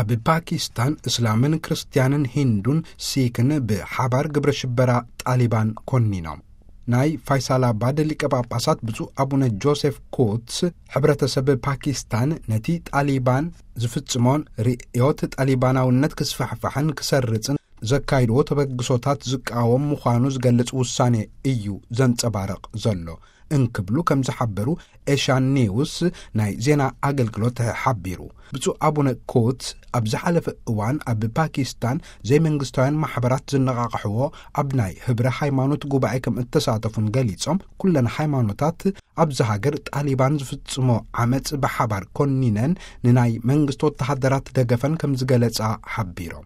ኣብ ፓኪስታን እስላምን ክርስትያንን ሂንዱን ሲክን ብሓባር ግብረ ሽበራ ጣሊባን ኮኒኖም። ናይ ፋይሳላባድ ሊቀ ጳጳሳት ብፁዕ ኣቡነ ጆሴፍ ኮትስ፣ ሕብረተሰብ ፓኪስታን ነቲ ጣሊባን ዝፍጽሞን ርእዮት ጣሊባናውነት ክስፋሕፋሕን ክሰርጽን ዘካይድዎ ተበግሶታት ዝቃወም ምዃኑ ዝገልጽ ውሳኔ እዩ ዘንጸባርቕ ዘሎ እንክብሉ ከም ዝሓበሩ ኤሽያን ኒውስ ናይ ዜና ኣገልግሎት ሓቢሩ። ብፁዕ ኣቡነ ኮትስ ኣብ ዝሓለፈ እዋን ኣብ ፓኪስታን ዘይመንግስታውያን ማሕበራት ዝነቓቕሕዎ ኣብ ናይ ህብረ ሃይማኖት ጉባኤ ከም እተሳተፉን ገሊጾም፣ ኩለን ሃይማኖታት ኣብዚ ሃገር ጣሊባን ዝፍጽሞ ዓመጽ ብሓባር ኮኒነን ንናይ መንግስቲ ወተሃደራት ደገፈን ከም ዝገለጻ ሓቢሮም።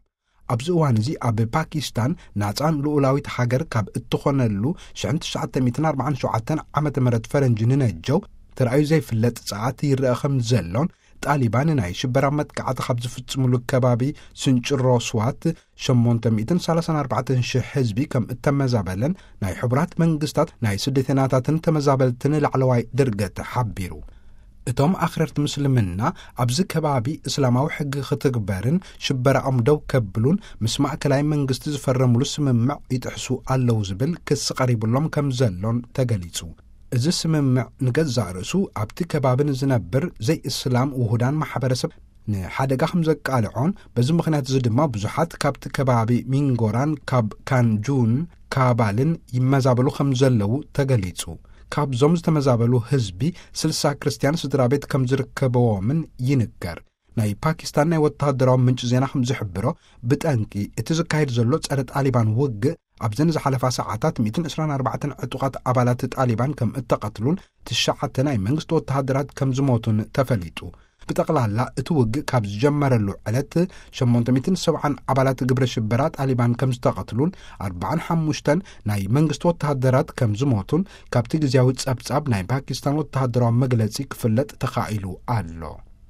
ኣብዚ እዋን እዚ ኣብ ፓኪስታን ናጻን ልኡላዊት ሃገር ካብ እትኾነሉ ሽሕን ትሽዓተ ሚእትን ኣርባዓን ሸውዓተን ዓመተ ምህረት ፈረንጂ ንነጀው ተራእዩ ዘይፍለጥ ጸዓት ይረአ ከም ዘሎን፣ ጣሊባን ናይ ሽበራ መጥቃዕቲ ካብ ዝፍጽምሉ ከባቢ ስንጭሮ ስዋት ሸሞንተ ሚእትን ሰላሳን ኣርባዕተን ሽሕ ህዝቢ ከም እተመዛበለን ናይ ሕቡራት መንግስታት ናይ ስደተኛታትን ተመዛበልትን ላዕለዋይ ድርገት ሓቢሩ። እቶም ኣኽረርቲ ምስልምና ኣብዚ ከባቢ እስላማዊ ሕጊ ክትግበርን ሽበራኦም ደው ከብሉን ምስ ማእከላይ መንግስቲ ዝፈረሙሉ ስምምዕ ይጥሕሱ ኣለዉ ዝብል ክሲ ቀሪቡሎም ከም ዘሎን ተገሊጹ። እዚ ስምምዕ ንገዛእ ርእሱ ኣብቲ ከባቢ ንዝነብር ዘይእስላም ውሁዳን ማሕበረሰብ ንሓደጋ ከም ዘቃልዖን፣ በዚ ምኽንያት እዚ ድማ ብዙሓት ካብቲ ከባቢ ሚንጎራን ካብ ካንጁን ካባልን ይመዛበሉ ከም ዘለዉ ተገሊጹ። ካብዞም ዝተመዛበሉ ህዝቢ ስልሳ ክርስትያን ስድራ ቤት ከም ዝርከበዎምን ይንገር። ናይ ፓኪስታን ናይ ወተሃደራዊ ምንጪ ዜና ከም ዝሕብሮ፣ ብጠንቂ እቲ ዝካየድ ዘሎ ጸረ ጣሊባን ውግእ ኣብዘን ዝሓለፋ ሰዓታት ሚእትን ዕስራን ኣርባዕተን ዕጡቓት ኣባላት ጣሊባን ከም እተቐትሉን ትሽዓተ ናይ መንግስቲ ወተሃደራት ከም ዝሞቱን ተፈሊጡ። ብጠቕላላ እቲ ውግእ ካብ ዝጀመረሉ ዕለት ሸሞንተ ሚእትን ሰብዓን ኣባላት ግብረ ሽበራ ጣሊባን ከም ዝተቐትሉን ኣርባዓን ሓሙሽተን ናይ መንግስቲ ወተሃደራት ከም ዝሞቱን ካብቲ ግዜያዊ ጸብጻብ ናይ ፓኪስታን ወተሃደራዊ መግለጺ ክፍለጥ ተኻኢሉ ኣሎ።